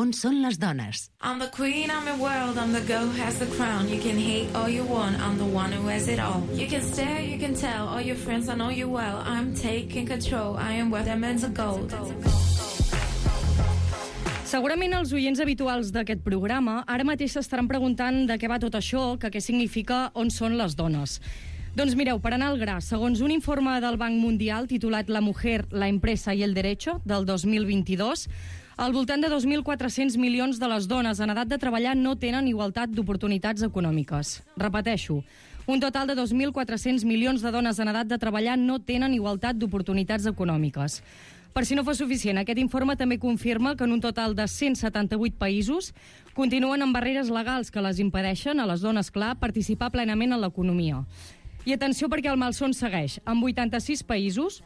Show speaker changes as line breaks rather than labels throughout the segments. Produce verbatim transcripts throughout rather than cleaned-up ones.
On són les dones?
I'm the queen, I'm the world, I'm the girl who has the crown. You can hate all you want, I'm the one who has it all. You can stare, you can tell, all your friends, I know you well. I'm taking control, I am worth diamonds of gold.
Segurament els oients habituals d'aquest programa ara mateix s'estaran preguntant de què va tot això, que què significa On són les dones. Doncs mireu, per anar al gra, segons un informe del Banc Mundial titulat La mujer, la empresa y el derecho, del dos mil vint-i-dos, al voltant de dos mil quatre-cents milions de les dones en edat de treballar no tenen igualtat d'oportunitats econòmiques. Repeteixo, un total de dos mil quatre-cents milions de dones en edat de treballar no tenen igualtat d'oportunitats econòmiques. Per si no fos suficient, aquest informe també confirma que en un total de cent setanta-vuit països continuen amb barreres legals que les impedeixen a les dones, clar, participar plenament en l'economia. I atenció perquè el malson segueix. En vuitanta-sis països,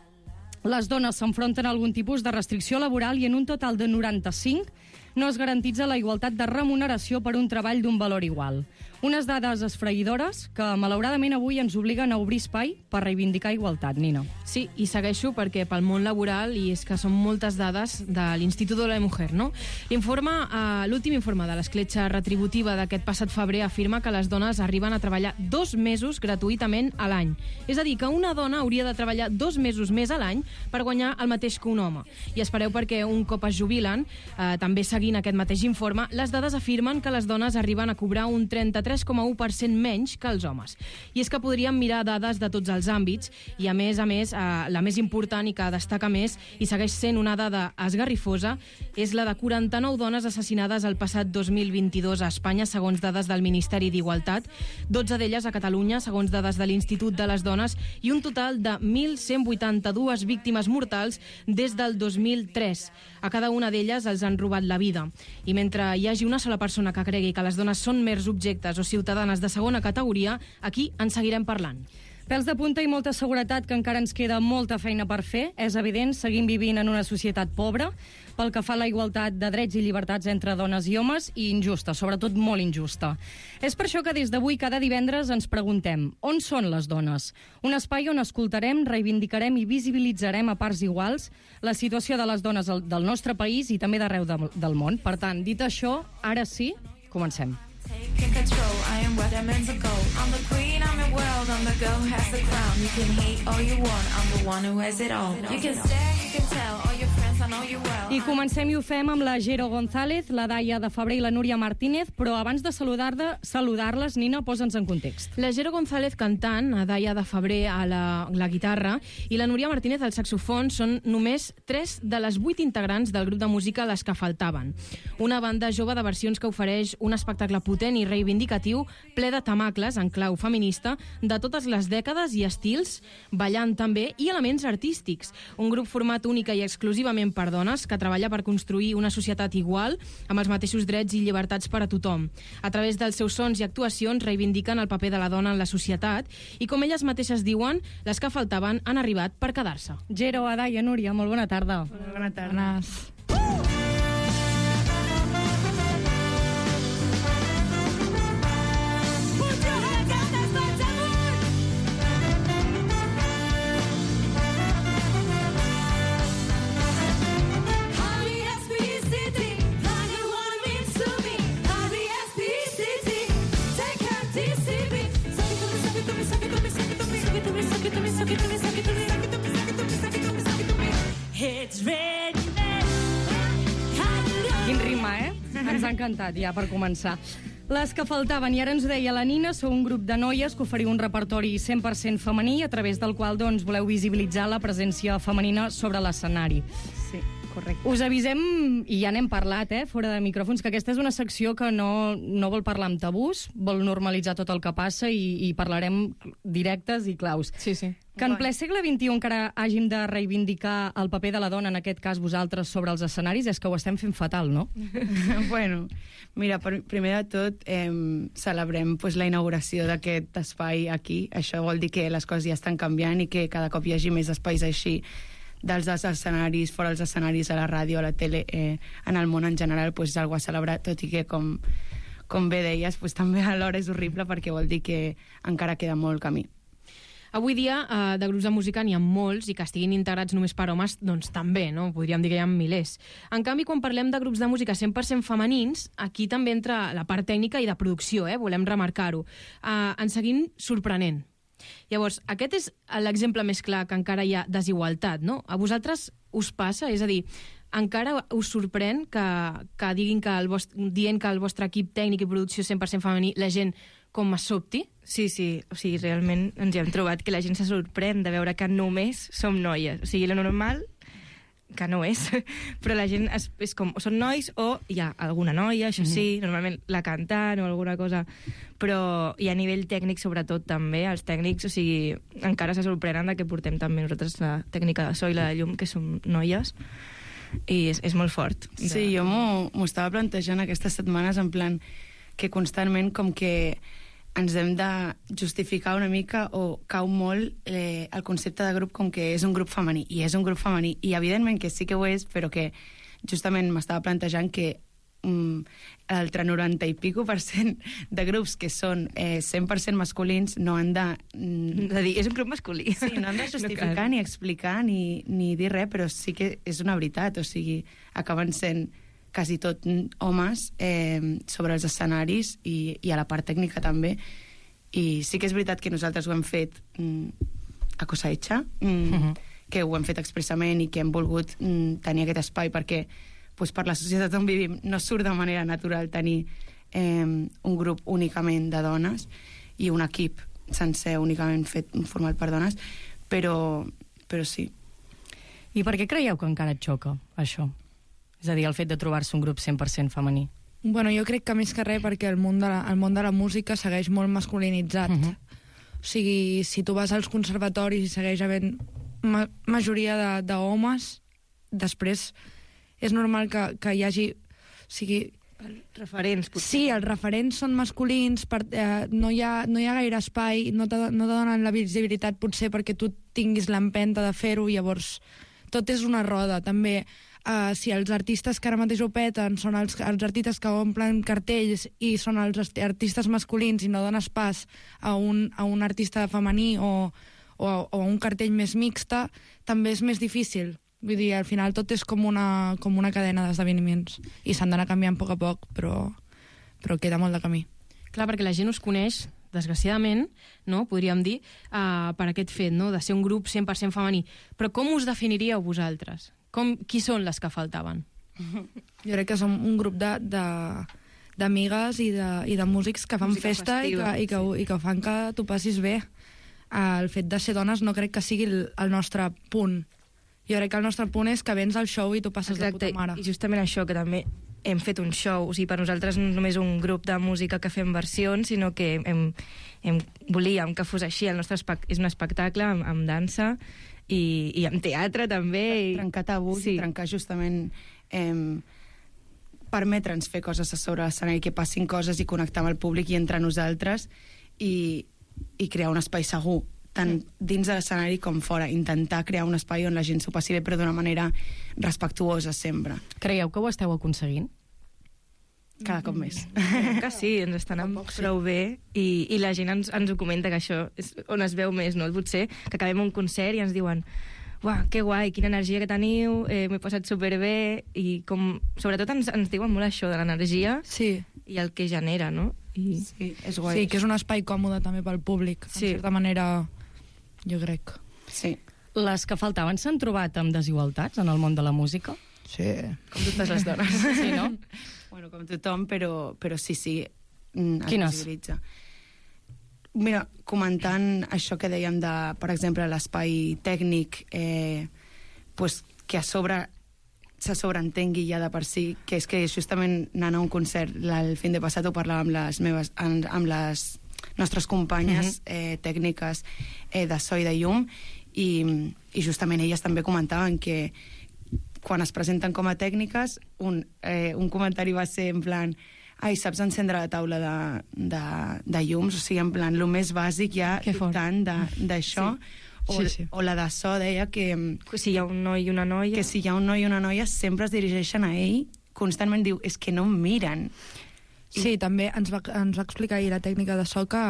les dones s'enfronten a algun tipus de restricció laboral i en un total de noranta-cinc no es garantitza la igualtat de remuneració per un treball d'un valor igual. Unes dades esfraïdores que, malauradament, avui ens obliguen a obrir espai per reivindicar igualtat, Nina.
Sí, i segueixo perquè pel món laboral, i és que són moltes dades de l'Institut de la Mujer, no? L'informe, eh, l'últim informe de l'escletxa retributiva d'aquest passat febrer afirma que les dones arriben a treballar dos mesos gratuïtament a l'any. És a dir, que una dona hauria de treballar dos mesos més a l'any per guanyar el mateix que un home. I espereu perquè un cop es jubilen, eh, també seguint aquest mateix informe, les dades afirmen que les dones arriben a cobrar un trenta-tres coma u per cent menys que els homes. I és que podríem mirar dades de tots els àmbits i, a més a més, eh, la més important i que destaca més i segueix sent una dada esgarrifosa és la de quaranta-nou dones assassinades el passat dos mil vint-i-dos a Espanya, segons dades del Ministeri d'Igualtat, dotze d'elles a Catalunya, segons dades de l'Institut de les Dones, i un total de mil cent vuitanta-dues víctimes mortals des del dos mil tres. A cada una d'elles els han robat la vida. I mentre hi hagi una sola persona que cregui que les dones són mers objectes o ciutadanes de segona categoria, aquí en seguirem parlant.
Pèls de punta i molta seguretat, que encara ens queda molta feina per fer. És evident, seguim vivint en una societat pobra pel que fa a la igualtat de drets i llibertats entre dones i homes, i injusta, sobretot molt injusta. És per això que des d'avui cada divendres ens preguntem on són les dones? Un espai on escoltarem, reivindicarem i visibilitzarem a parts iguals la situació de les dones del nostre país i també d'arreu del món. Per tant, dit això, ara sí, comencem.
Taking control, I am worth diamonds of gold. I'm the queen, I'm the world, I'm the girl who has the crown. You can hate all you want, I'm the one who has it all. You can stare, you can tell, all your friends, I know you well.
I comencem i ho fem amb la Jero González, la Daia de Febrer i la Núria Martínez, però abans de saludar-les, saludar Nina, posa'ns en context.
La Jero González cantant, la Daia de Febrer a la, la guitarra i la Núria Martínez al saxofon són només tres de les vuit integrants del grup de música Les que faltaven. Una banda jove de versions que ofereix un espectacle potent i reivindicatiu, ple de tamacles en clau feminista, de totes les dècades i estils, ballant també, i elements artístics. Un grup format única i exclusivament per dones que treballa per construir una societat igual, amb els mateixos drets i llibertats per a tothom. A través dels seus sons i actuacions reivindiquen el paper de la dona en la societat i, com elles mateixes diuen, les que faltaven han arribat per quedar-se.
Jero, Daia, Núria, molt bona tarda.
Molt bona tarda.
Quin ritme, eh? Ens ha encantat, ja, per començar. Les que faltaven, i ara ens ho deia la Nina, sou un grup de noies que oferiu un repertori cent per cent femení, a través del qual doncs, voleu visibilitzar la presència femenina sobre l'escenari.
Sí, correcte.
Us avisem, i ja n'hem parlat, eh, fora de micròfons, que aquesta és una secció que no, no vol parlar amb tabús, vol normalitzar tot el que passa i, i parlarem directes i claus.
Sí, sí.
Que en ple segle vint-i-u encara hàgim de reivindicar el paper de la dona, en aquest cas vosaltres, sobre els escenaris, és que ho estem fent fatal, no?
Bueno, mira, per, primer de tot eh, celebrem pues, la inauguració d'aquest espai aquí. Això vol dir que les coses ja estan canviant i que cada cop hi hagi més espais així dels escenaris, fora els escenaris, a la ràdio, a la tele, eh, en el món en general, pues, és algo a celebrar, tot i que, com, com bé deies, pues, també alhora és horrible perquè vol dir que encara queda molt camí.
Avui dia, eh, de grups de música n'hi ha molts i que estiguin integrats només per homes, doncs també, no? Podríem dir que hi ha milers. En canvi, quan parlem de grups de música cent per cent femenins, aquí també entra la part tècnica i de producció, eh? Volem remarcar-ho. Eh, ens seguim sorprenent. Llavors, aquest és l'exemple més clar que encara hi ha desigualtat, no? A vosaltres us passa? És a dir, encara us sorprèn que, que diguin que el vostre, dient que el vostre equip tècnic i producció cent per cent femení, la gent com es sobti?
Sí, sí, o sigui, realment ens hi hem trobat que la gent se sorprèn de veure que només som noies. O sigui, lo normal, que no és, però la gent és, és com, són nois o hi ha alguna noia, això sí, mm-hmm. normalment la cantant o alguna cosa, però i a nivell tècnic sobretot també, els tècnics, o sigui, encara se sorprenen de que portem també nosaltres la tècnica de so i la de llum, que som noies, i és, és molt fort. De...
Sí, jo m'ho estava plantejant aquestes setmanes en plan que constantment com que ens hem de justificar una mica o cau molt eh, el concepte de grup com que és un grup femení, i és un grup femení, i evidentment que sí que ho és, però que justament m'estava plantejant que mm, l'altre noranta i pico per cent de grups que són eh, cent per cent masculins no han de...
Mm, de dir, és un grup masculí.
Sí, no han de justificar no ni explicar ni, ni dir res, però sí que és una veritat, o sigui, acaben sent quasi tot homes eh, sobre els escenaris i, i a la part tècnica també, i sí que és veritat que nosaltres ho hem fet mm, a cosa hecha, mm, uh-huh. que ho hem fet expressament i que hem volgut mm, tenir aquest espai perquè pues, per la societat on vivim no surt de manera natural tenir eh, un grup únicament de dones i un equip sencer únicament fet format per dones, però, però sí.
I per què creieu que encara et xoca, això? És a dir, el fet de trobar-se un grup cent per cent femení.
Bueno, jo crec que més que res perquè el món de la, el món de la música segueix molt masculinitzat. Uh-huh. O sigui, si tu vas als conservatoris i segueix havent ma majoria d'homes, de, després és normal que, que hi hagi... O sigui,
referents, potser.
Sí, els referents són masculins, per, eh, no, hi ha, no hi ha gaire espai, no te, no te donen la visibilitat potser perquè tu tinguis l'empenta de fer-ho, llavors tot és una roda. També Uh, si els artistes que ara mateix ho peten són els, els artistes que omplen cartells i són els artistes masculins i no dones pas a un, a un artista femení o, o, o a un cartell més mixta, també és més difícil. Vull dir, al final tot és com una, com una cadena d'esdeveniments i s'han d'anar canviant a poc a poc, però, però queda molt de camí.
Clar, perquè la gent us coneix, desgraciadament, no, podríem dir, uh, per aquest fet, no, de ser un grup cent per cent femení. Però com us definiríeu vosaltres? Com, qui són les que faltaven?
Jo crec que som un grup d'amigues i, de, i de músics que fan música festa festiva, i, que, i, que, sí. i que fan que tu passis bé. El fet de ser dones no crec que sigui el, el nostre punt. Jo crec que el nostre punt és que vens al show i tu passes Exacte. de puta mare.
I justament això, que també hem fet un show. O sigui, per nosaltres no és només un grup de música que fem versions, sinó que hem, hem, volíem que fos així. El nostre és un espectacle amb, amb dansa, I, i amb teatre també.
I... Trencar tabús, sí. trencar justament eh, permetre'ns fer coses a sobre l'escenari, que passin coses i connectar amb el públic i entre nosaltres i, i crear un espai segur, tant mm. dins de l'escenari com fora, intentar crear un espai on la gent s'ho passi bé però d'una manera respectuosa sempre.
Creieu que ho esteu aconseguint?
Cada cop més.
Que sí, ens estan amb poc, prou sí. bé i, i la gent ens, ens ho comenta, que això és on es veu més, no? Potser que acabem un concert i ens diuen uah, que guai, quina energia que teniu, eh, m'he passat superbé, i com, sobretot ens, ens diuen molt això de l'energia
sí.
i el que genera, no? I...
Sí, és guai.
Sí, que és un espai còmode també pel públic, sí. en certa manera, jo crec.
Sí.
Les que faltaven s'han trobat amb desigualtats en el món de la música?
Sí.
Com totes les dones.
Sí, no?
Bueno, com tothom, però, però sí, sí. Mm,
Quines?
Mira, comentant això que dèiem de, per exemple, l'espai tècnic, eh, pues, que a sobre se sobreentengui ja de per si, que és que justament anant a un concert el fin de passat ho parlava amb les meves, amb, amb les nostres companyes uh-huh. eh, tècniques eh, de so i de llum, i, i justament elles també comentaven que quan es presenten com a tècniques, un, eh, un comentari va ser en plan ai, saps encendre la taula de, de, de llums? O sigui, en plan, el més bàsic ja tant d'això. Sí. O, sí, sí. o la de so deia que...
Si hi ha un noi i una noia...
Que si hi ha un noi i una noia sempre es dirigeixen a ell, constantment diu, és que no em miren.
Sí, I... també ens va, ens va explicar ahir la tècnica de so que,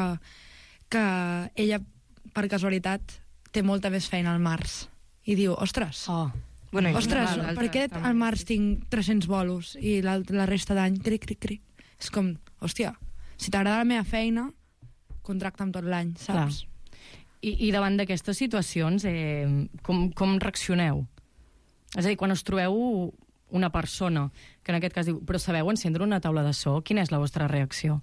que ella per casualitat, té molta més feina al març. I diu, ostres,
Oh.
Bueno, i
ostres,
l'altre
per què
també.
al març tinc tres-cents bolos i la, la resta d'any, cric, cric, cric. És com, hòstia, si t'agrada la meva feina, contracta'm tot l'any, saps?
I, I davant d'aquestes situacions, eh, com, com reaccioneu? És a dir, quan us trobeu una persona, que en aquest cas diu, però sabeu encendre una taula de so, quina és la vostra reacció?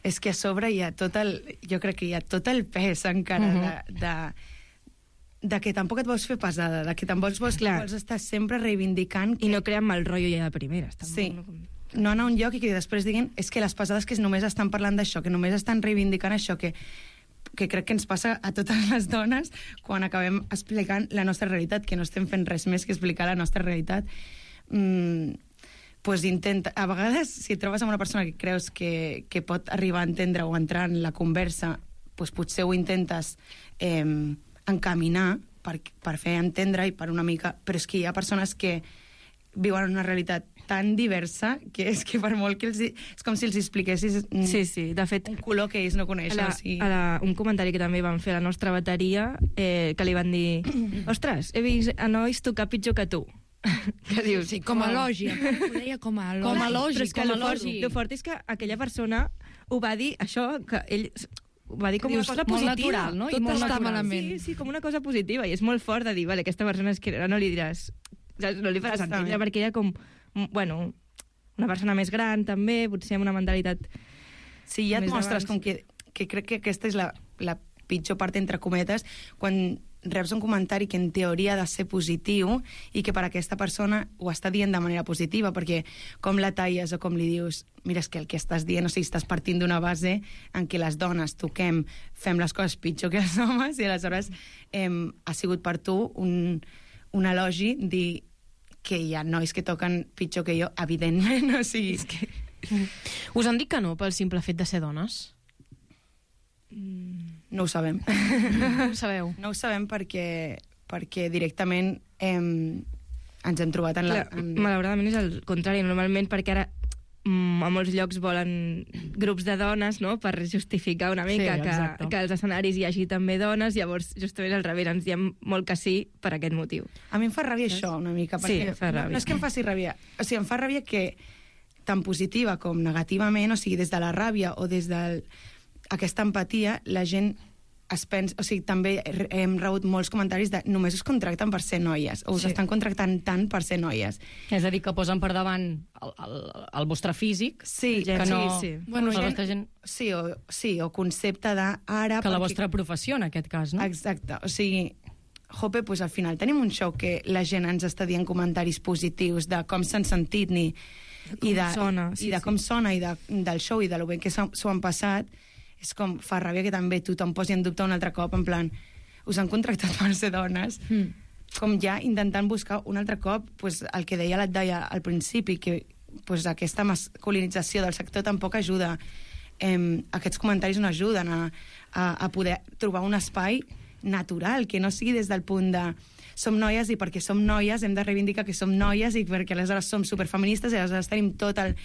És que a sobre hi ha tot el... Jo crec que hi ha tot el pes encara
Mhm.
de, de, de que tampoc et vols fer pesada, de que tampoc vols,
Clar.
vols estar sempre reivindicant que
I no creem mal rotllo ja de primeres. Tampoc,
Sí.
no?
no anar a un lloc i que després diguin és que les pesades que només estan parlant d'això, que només estan reivindicant això, que, que crec que ens passa a totes les dones quan acabem explicant la nostra realitat, que no estem fent res més que explicar la nostra realitat. Mm, pues intenta, a vegades, si et trobes amb una persona que creus que, que pot arribar a entendre o entrar en la conversa, pues potser ho intentes eh, encaminar per, per fer entendre i per una mica... Però és que hi ha persones que viuen una realitat tan diversa que és que per molt que els... És com si els expliquessis mm,
Sí, sí, de fet,
un color que ells no
a
coneixen.
la,
o sigui...
a la, un comentari que també van fer a la nostra bateria, eh, que li van dir, ostres, he vist a nois tocar pitjor que tu. Que dius,
Sí, com a
"Uau".
lògic. Ho deia com a lògic.
Com a lògic,
Però és que
com a
lo fort,
lògic.
lo fort és que aquella persona ho va dir, això, que ell ho va dir com
Dius,
una cosa
molt
positiva.
natural, no? I
Tot
molt
està
natural.
malament.
Sí, sí, com una cosa positiva. I és molt fort de dir, vale, aquesta persona és que no li diràs... saps? No li faràs
Justament.
entendre, perquè era com, bueno, una persona més gran, també, potser amb una mentalitat...
Sí, ja et
més
mostres
abans.
com que, que crec que aquesta és la, la pitjor part, entre cometes, quan reps un comentari que en teoria ha de ser positiu i que per aquesta persona ho està dient de manera positiva, perquè com la talles o com li dius, mira, és que el que estàs dient, o sigui, estàs partint d'una base en què les dones toquem, fem les coses pitjor que els homes, i aleshores eh, ha sigut per tu un, un elogi dir que hi ha nois que toquen pitjor que jo, evidentment, o sigui... És que...
Us han dit que no pel simple fet de ser dones?
No ho sabem.
Ho sabeu?
No ho sabem perquè, perquè directament hem, ens hem trobat en la...
Clar,
En...
malauradament és el contrari, normalment, perquè ara mm, a molts llocs volen grups de dones, no?, per justificar una mica
Sí,
que,
exacte.
que als escenaris hi hagi també dones, llavors justament al revés ens diem molt que sí per aquest motiu.
A mi em fa ràbia això, una mica.
Sí,
Perquè
fa ràbia.
No, no és que em faci ràbia. O sigui, em fa ràbia que tant positiva com negativament, o sigui, des de la ràbia o des de aquesta empatia, la gent es pensa... O sigui, també hem rebut molts comentaris de només us contracten per ser noies, o us
Sí.
estan contractant tant per ser noies.
És a dir, que posen per davant el, el, el vostre físic,
Sí,
que no...
sí, sí.
Bueno,
la
gent-
vostra gent...
Sí, o, sí, o concepte de ara...
Que la
perquè-
vostra professió, en aquest cas, no?
Exacte, o sigui, jope, pues al final tenim un show que la gent ens està dient comentaris positius de com s'han sentit ni,
com
i de,
sona,
i
sí,
de
sí.
com sona i de, del show i de lo bé que s'ho s'ho han passat. És com, fa ràbia que també tothom posi en dubte un altre cop, en plan, us han contractat per ser dones, mm. com ja intentant buscar un altre cop pues, el que deia l'Atdaia al principi, que pues, aquesta masculinització del sector tampoc ajuda. Eh, aquests comentaris no ajuden a, a, a poder trobar un espai natural, que no sigui des del punt de som noies i perquè som noies hem de reivindicar que som noies i perquè aleshores som superfeministes i aleshores tenim tot el,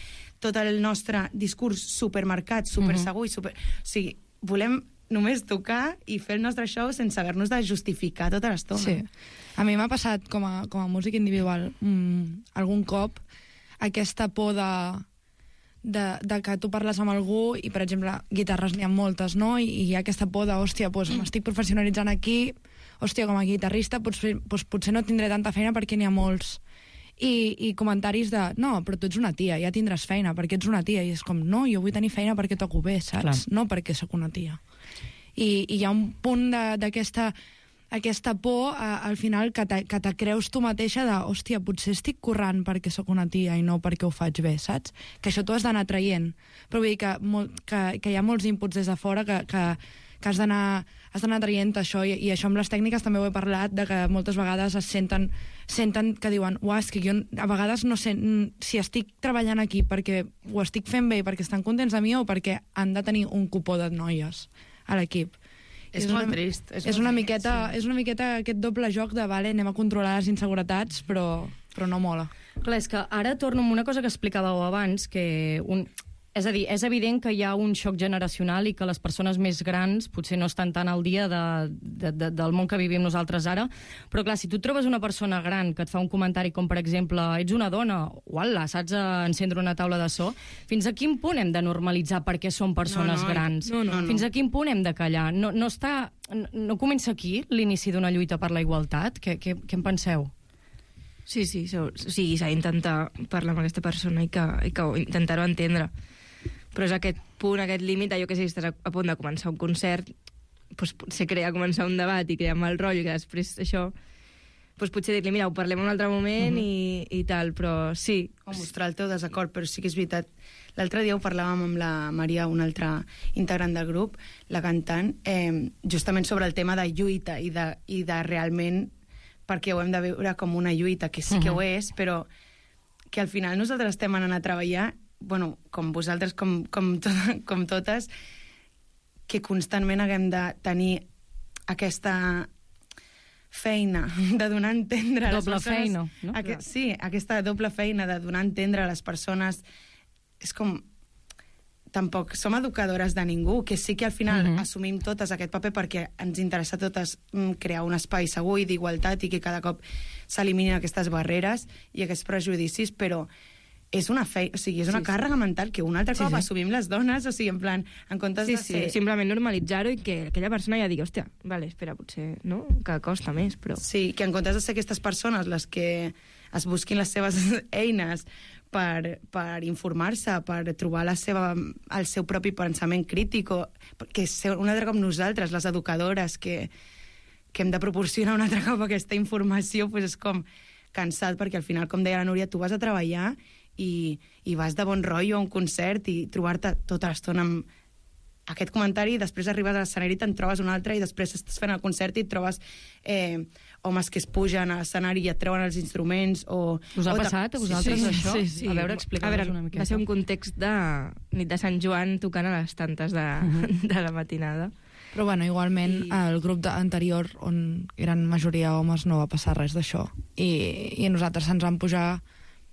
tot el nostre discurs supermarcat, supersegur i super... O sigui, volem només tocar i fer el nostre show sense haver-nos de justificar tota l'estona.
Sí. A mi m'ha passat com a, com a músic individual mm, algun cop aquesta por de, de, de que tu parles amb algú i, per exemple, guitarres n'hi ha moltes, no? I, i hi ha aquesta por de, hòstia, doncs m'estic professionalitzant aquí, hòstia, com a guitarrista potser, doncs, potser no tindré tanta feina perquè n'hi ha molts. I, I comentaris de, no, però tu ets una tia, ja tindràs feina perquè ets una tia. I és com, no, jo vull tenir feina perquè toco bé, saps?
Clar.
No perquè sóc una tia. I, i hi ha un punt de- d'aquesta aquesta por, a, al final, que te, que te creus tu mateixa de, hòstia, potser estic currant perquè sóc una tia i no perquè ho faig bé, saps? Que això tu has d'anar traient. Però vull dir que, molt, que, que hi ha molts inputs des de fora que, que, que has d'anar has d'anar traient això, i, i això amb les tècniques també ho he parlat, de que moltes vegades es senten, senten que diuen, uah, és que jo a vegades no sé mm, si estic treballant aquí perquè ho estic fent bé, perquè estan contents de mi o perquè han de tenir un cupó de noies a l'equip.
És
I
molt
una,
trist, és
És,
molt
una
trist,
miqueta, és una miqueta aquest doble joc de, vale, anem a controlar les inseguretats, però, però no mola.
Clar, és que ara torno amb una cosa que explicàveu abans, que un... És a dir, és evident que hi ha un xoc generacional i que les persones més grans potser no estan tan al dia de, de, de, del món que vivim nosaltres ara, però clar, si tu trobes una persona gran que et fa un comentari com, per exemple, ets una dona, uala, saps encendre una taula de so, fins a quin punt hem de normalitzar perquè són persones
No, no,
grans?
no, no, no.
Fins a quin punt hem de callar? No, no, està, no, no comença aquí l'inici d'una lluita per la igualtat? Què, què, què en penseu?
Sí, sí, so, o sigui, s'ha d'intentar parlar amb aquesta persona i que, i que intentar-ho entendre. Però és aquest punt, aquest límit, jo que sé, si estàs a, a punt de començar un concert, doncs potser crea començar un debat i crear mal rotllo, que després això, doncs potser dir-li, mira, ho parlem un altre moment uh -huh. i, i tal, però sí.
O mostrar el teu desacord, però sí que és veritat. L'altre dia ho parlàvem amb la Maria, una altra integrant del grup, la cantant, eh, justament sobre el tema de lluita i de, i de realment, perquè ho hem de veure com una lluita, que sí que ho és, però que al final nosaltres estem anant a treballar, bueno, com vosaltres, com, com, to com totes, que constantment haguem de tenir aquesta feina de donar a entendre a les
Doble
persones...
feina, no?
Aquest, sí, aquesta doble feina de donar a entendre a les persones. És com... Tampoc som educadores de ningú, que sí que al final uh -huh. assumim totes aquest paper perquè ens interessa a totes mm, crear un espai segur i d'igualtat i que cada cop s'eliminin aquestes barreres i aquests prejudicis, però és una feina, o sigui, és una sí, càrrega sí. mental que un altre cop sí, sí. assumim les dones, o sigui, en plan, en comptes
sí,
de
sí,
ser...
simplement normalitzar-ho i que aquella persona ja digui, hòstia, vale, espera, potser, no?, que costa més, però...
Sí, que en comptes de ser aquestes persones les que es busquin les seves eines per, per informar-se, per trobar la seva, el seu propi pensament crític, o, que és un altre cop nosaltres, les educadores, que, que hem de proporcionar un altre cop aquesta informació, pues és com cansat, perquè al final, com deia la Núria, tu vas a treballar i, i vas de bon rotllo a un concert i trobar-te tota l'estona amb aquest comentari i després arribes a l'escenari i te'n trobes un altre i després estàs fent el concert i et trobes eh, homes que es pugen a l'escenari i et treuen els instruments o...
Us ha
o
passat a vosaltres,
sí, sí,
això?
Sí, sí.
A veure, explica'ns una miqueta.
Va ser un context de nit de Sant Joan tocant a les tantes de, uh-huh. de la matinada.
Però bueno, igualment I... el grup de, anterior, on eren majoria homes, no va passar res d'això. I, I a nosaltres se'ns van pujar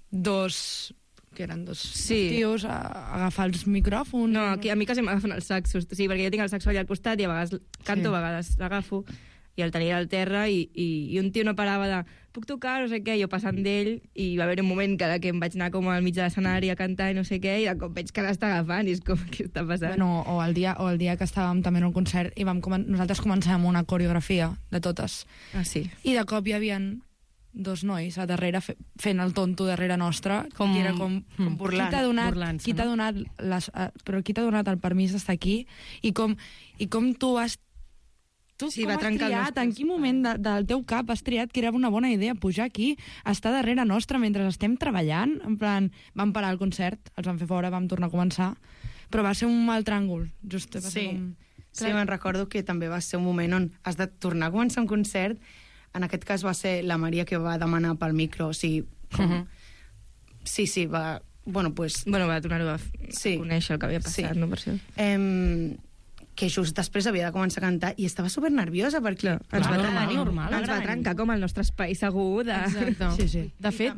dos... que eren dos
sí.
tios a, a agafar els micròfons.
No, aquí a mi quasi m'agafen els saxos, sí, perquè jo tinc el saxo allà al costat i a vegades canto, sí. a vegades l'agafo i el tenia al terra i, i, i un tio no parava de puc tocar, no sé què, jo passant d'ell i va haver un moment que, que em vaig anar com al mig de l'escenari a cantar i no sé què i de cop veig que l'està agafant i és com, què està passant?
Bueno, o el dia, o el dia que estàvem també en un concert i vam comen nosaltres començàvem una coreografia de totes.
Ah, sí.
I de cop hi havia dos nois a darrere fe fent el tonto darrere nostre, com, i era com, com
burlant,
qui t'ha donat,
burlant-se,
qui t'ha
no?
donat, les, uh, però qui t'ha donat el permís d'estar aquí i com, i com tu has tu
Sí,
com
va
has
trencar el
triat,
nostre
en quin moment de, del teu cap has triat que era una bona idea pujar aquí, estar darrere nostre mentre estem treballant, en plan vam parar el concert, els vam fer fora, vam tornar a començar, però va ser un mal tràngol just, va ser
Sí,
com...
sí, me'n recordo que també va ser un moment on has de tornar a començar un concert. En aquest cas va ser la Maria que va demanar pel micro, o sigui, com... uh -huh. sí, sí, va... Bueno, pues...
Bueno, va tornar-ho a
Sí.
conèixer el que havia passat,
Sí.
no, per això.
Eh, que just després havia de començar a cantar i estava supernerviosa perquè
Clar, ens,
Clar,
va,
normal,
trencar,
normal.
ens va trencar com el nostre espai segur de...
Exacte.
Sí, sí.
De fet,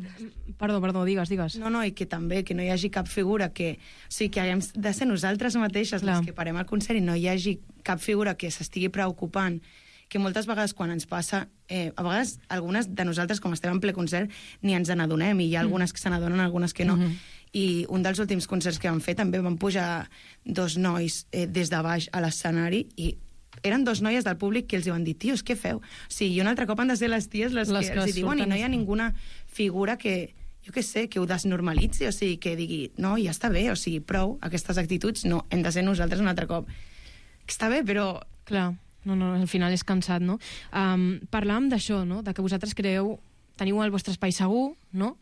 perdó, perdó, digues, digues.
No, no, i que també que no hi hagi cap figura que... O sigui, que haguem de ser nosaltres mateixes
Clar.
les que parem el concert i no hi hagi cap figura que s'estigui preocupant, que moltes vegades quan ens passa, eh, a vegades algunes de nosaltres, com estem en ple concert, ni ens n'adonem, i hi ha algunes que se n'adonen, algunes que no. Mm -hmm. I un dels últims concerts que vam fer també van pujar dos nois eh, des de baix a l'escenari i eren dos noies del públic que els van dir, tios, què feu? O sigui, i un altre cop han de ser les ties les,
Les
que,
que
els hi diuen i
surten.
no hi ha ninguna figura que, jo què sé, que ho desnormalitzi, o sigui, que digui, no, ja està bé, o sigui, prou, aquestes actituds, no, hem de ser nosaltres un altre cop. Que està bé, però...
Clar, no, no, al final és cansat, no? Um, parlàvem d'això, no?, de que vosaltres creeu, teniu el vostre espai segur, no?,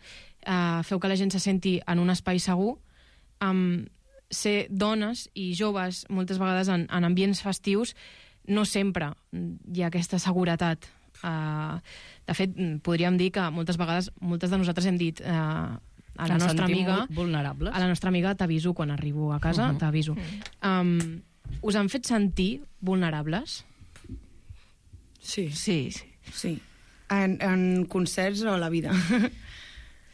uh, feu que la gent se senti en un espai segur, um, ser dones i joves, moltes vegades en, en ambients festius, no sempre hi ha aquesta seguretat. Uh, de fet, podríem dir que moltes vegades, moltes de nosaltres hem dit... Uh, a la
Ens
nostra
sentim
amiga,
vulnerables.
a la nostra amiga t'aviso quan arribo a casa, uh -huh. t'aviso. Um, us han fet sentir vulnerables?
Sí.
Sí, sí.
Sí. En, en concerts o a la vida.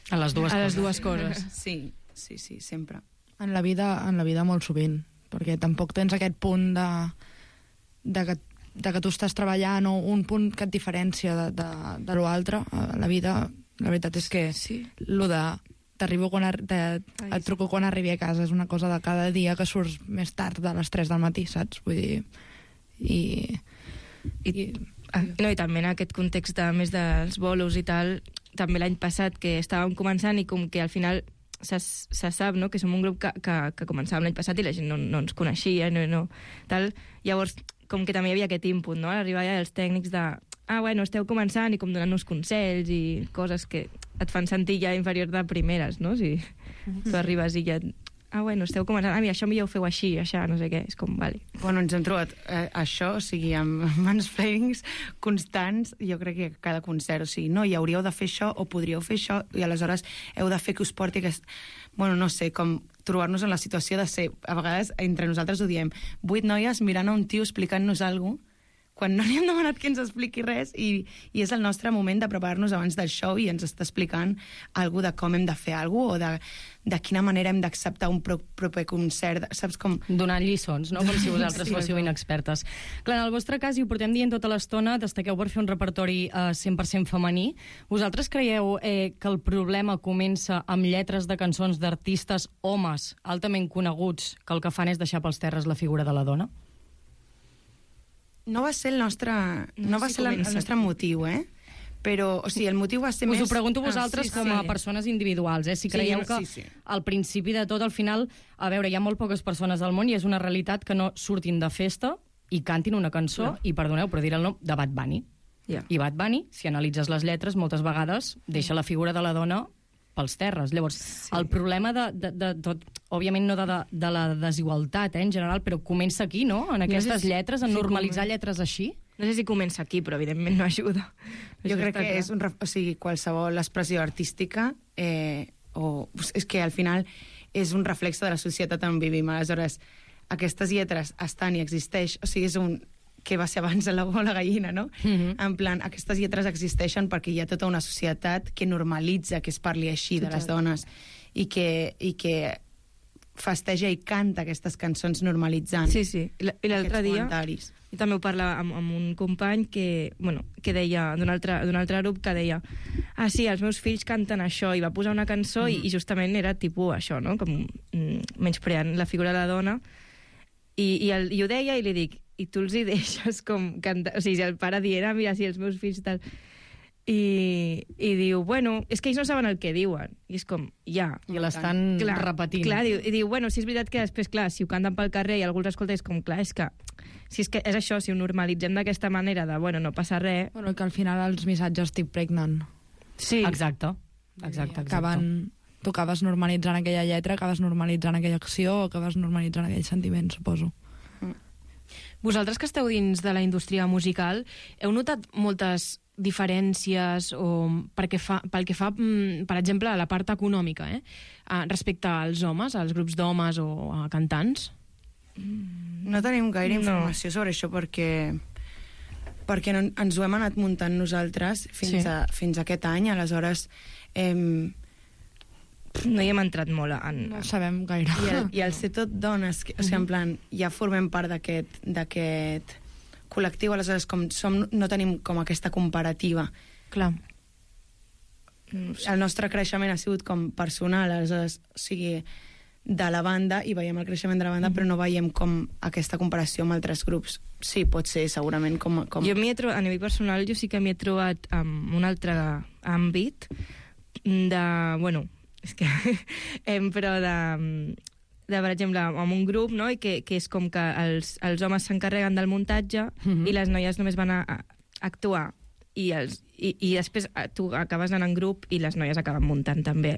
A les dues
A les
coses.
dues coses.
Sí, sí, sí, sempre.
En la vida, en la vida molt sovint, perquè tampoc tens aquest punt de, de, que, de que tu estàs treballant o un punt que et diferència de, de, de l'altre. A la vida, la veritat és que sí. Lo de t'arribo quan ar te, et truco quan arribi a casa és una cosa de cada dia que surts més tard de les tres del matí, saps? Vull dir... I...
I, i no, i també en aquest context de, més dels bolos i tal, també l'any passat que estàvem començant i com que al final se, se sap, no?, que som un grup que, que, que començàvem l'any passat i la gent no, no ens coneixia, no, no, tal. Llavors, com que també hi havia aquest input, no?, a l'arribar ja els tècnics de ah, bueno, esteu començant i com donant-nos consells i coses que et fan sentir ja inferior de primeres, no? Si tu arribes i ja... Ah, bueno, esteu començant, ah, mira, això millor ho feu així, això, no sé què, és com, vale.
Bueno, ens hem trobat eh, això, o sigui, amb mansplainings constants, jo crec que cada concert, o sigui, no, i hauríeu de fer això, o podríeu fer això, i aleshores heu de fer que us porti aquest... Bueno, no sé, com trobar-nos en la situació de ser, a vegades, entre nosaltres ho diem, vuit noies mirant a un tio explicant-nos alguna cosa, quan no li hem demanat que ens expliqui res i, i és el nostre moment de preparar-nos abans del show i ens està explicant alguna de com hem de fer alguna o de, de quina manera hem d'acceptar un pro, proper concert, saps com...
Donant lliçons, no? Com si vosaltres sí, fóssiu inexpertes. Clar, en el vostre cas, i ho portem dient tota l'estona, destaqueu per fer un repertori eh, cent per cent femení. Vosaltres creieu eh, que el problema comença amb lletres de cançons d'artistes homes altament coneguts que el que fan és deixar pels terres la figura de la dona?
No va ser el nostre, no, no va si ser la, el nostre motiu, eh? Però, o sigui, el motiu va ser
Us
més...
Us ho pregunto vosaltres
ah, sí,
com a
sí.
persones individuals, eh? Si creieu sí, que sí, sí. al principi de tot, al final, a veure, hi ha molt poques persones al món i és una realitat que no surtin de festa i cantin una cançó, no. i perdoneu, però diré el nom, de Bad Bunny. Yeah. I Bad Bunny, si analitzes les lletres, moltes vegades deixa la figura de la dona pels terres. Llavors, sí. el problema de, de, de tot, òbviament no de, de, de la desigualtat, eh, en general, però comença aquí, no?, en aquestes no sé si, lletres, en si normalitzar comença. Lletres així.
No sé si comença aquí, però evidentment no ajuda.
Jo crec que clar. és un, o sigui, qualsevol expressió artística, eh, o, és que al final és un reflex de la societat on vivim. Aleshores, aquestes lletres estan i existeix, o sigui, és un... que va ser abans de l'ou o la gallina, no? Mm-hmm. En plan, aquestes lletres existeixen perquè hi ha tota una societat que normalitza que es parli així Total. de les dones i que, i que festeja i canta aquestes cançons normalitzant
sí, sí. I l'altre dia i també ho parlava amb, amb un company que, bueno, que deia, d'un altre, d'un altre grup que deia, ah sí, els meus fills canten això, i va posar una cançó mm. i, i justament era tipus això, no? Com mm, menyspreant la figura de la dona i, i, el, i ho deia i li dic i tu els hi deixes com cantar... O sigui, si el pare dient, ah, mira, si els meus fills tal... I, i diu, bueno, és que ells no saben el que diuen. I és com, ja.
I l'estan repetint.
Clar, diu, i diu, bueno, si és veritat que després, clar, si ho canten pel carrer i algú els escolta, és com, clar, és que... Si és que és això, si ho normalitzem d'aquesta manera de, bueno, no passa res...
Bueno, que al final els missatges estic pregnant.
Sí. Exacte. Exacte, exacte.
Acaben... Tu acabes normalitzant aquella lletra, acabes normalitzant aquella acció, acabes normalitzant aquell sentiment, suposo.
Vosaltres que esteu dins de la indústria musical, heu notat moltes diferències o perquè fa, pel que fa, per exemple, a la part econòmica, eh? respecte als homes, als grups d'homes o a cantants?
No tenim gaire informació no. sobre això perquè, perquè no, ens ho hem anat muntant nosaltres fins, sí. a, fins a aquest any, aleshores... Eh,
no hi hem entrat molt en...
No sabem gaire.
I el, i el ser tot dones, que, o sigui, en plan, ja formem part d'aquest d'aquest col·lectiu, aleshores com som, no tenim com aquesta comparativa.
Clar.
El nostre creixement ha sigut com personal, aleshores, o sigui, de la banda, i veiem el creixement de la banda, mm. però no veiem com aquesta comparació amb altres grups. Sí, pot ser, segurament, com... com...
Jo m'hi he trobat, a nivell personal, jo sí que m'hi he trobat en un altre àmbit de, bueno... És que, eh, però de, de, per exemple, amb un grup, no?, i que, que és com que els, els homes s'encarreguen del muntatge mm-hmm. i les noies només van a, a actuar i, els, i, i després tu acabes anant en grup i les noies acaben muntant també.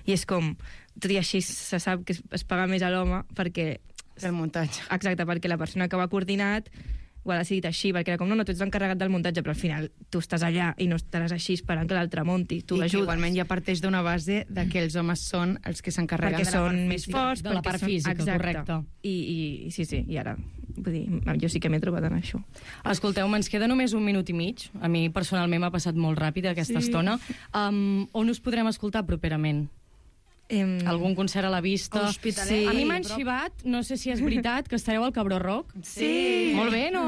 I és com, tot i així se sap que es, es paga més a l'home perquè...
El muntatge.
Exacte, perquè la persona que ho ha coordinat ho ha decidit així, perquè era com, no, no, tu ets l'encarregat del muntatge, però al final tu estàs allà i no estaràs així esperant que l'altre monti, tu l'ajudes.
I igualment ja parteix d'una base de que els homes són els que s'encarreguen
de la part física. Més forts,
de la part física,
són...
correcte.
I, i sí, sí, i ara, vull dir, jo sí que m'he trobat en això.
Escolteu, ens queda només un minut i mig. A mi personalment m'ha passat molt ràpid aquesta sí. estona. Um, on us podrem escoltar properament?
Em...
Algun concert a la vista.
Hospitalet.
Sí.
A mi m'han xivat, no sé si és veritat, que estareu al Cabró Rock.
Sí.
Molt bé, no?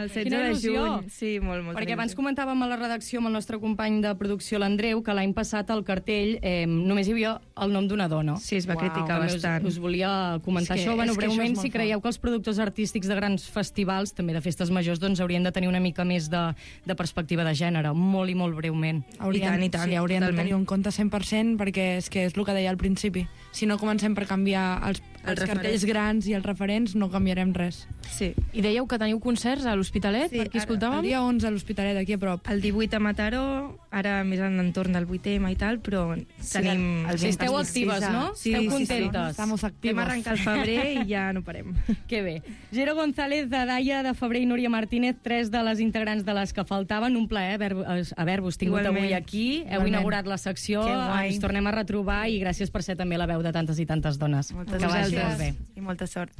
El setze
Quina
de
il·lusió.
juny. Sí, molt, molt.
Perquè abans comentàvem a la redacció amb el nostre company de producció, l'Andreu, que l'any passat al cartell eh, només hi havia el nom d'una dona.
Sí, es va criticar
També
bastant.
Us, us volia comentar
És que-
això. Bueno,
és que això
breument,
és molt
si creieu que els productors artístics de grans festivals, també de festes majors, doncs haurien de tenir una mica més de, de perspectiva de gènere, molt i molt breument.
Haurien,
I tant, i tant,
sí, haurien
totalment.
de tenir un compte cent per cent perquè és que és el que deia al principi. Si no comencem per canviar els, els
referents.
cartells grans i els referents, no canviarem res.
Sí.
I dèieu que teniu concerts a l'Hospitalet,
Sí,
per qui
ara-
escoltàvem?
El dia onze a l'Hospitalet, aquí a prop.
El divuit a Mataró, ara més en l'entorn del vuit ema i tal, però tenim...
el
Sí, esteu
vint
actives, no?
Sí,
esteu
sí, sí.
contentes.
Estamos
Vam
activos.
arrencar el febrer i ja no parem.
Que bé. Jero González, de Daia de Febrer i Núria Martínez, tres de les integrants de les que faltaven. Un plaer haver- haver-vos tingut
Igualment.
avui aquí. Heu
Igualment.
inaugurat la secció,
Que guai.
ens tornem a retrobar i gràcies per ser també la veu de tantes i tantes dones.
Moltes
que vagi
gràcies.
molt bé.
I molta sort.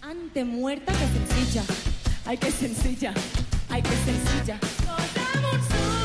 Ante muerta que sencilla, ay que sencilla, ay que sencilla. Nos damos un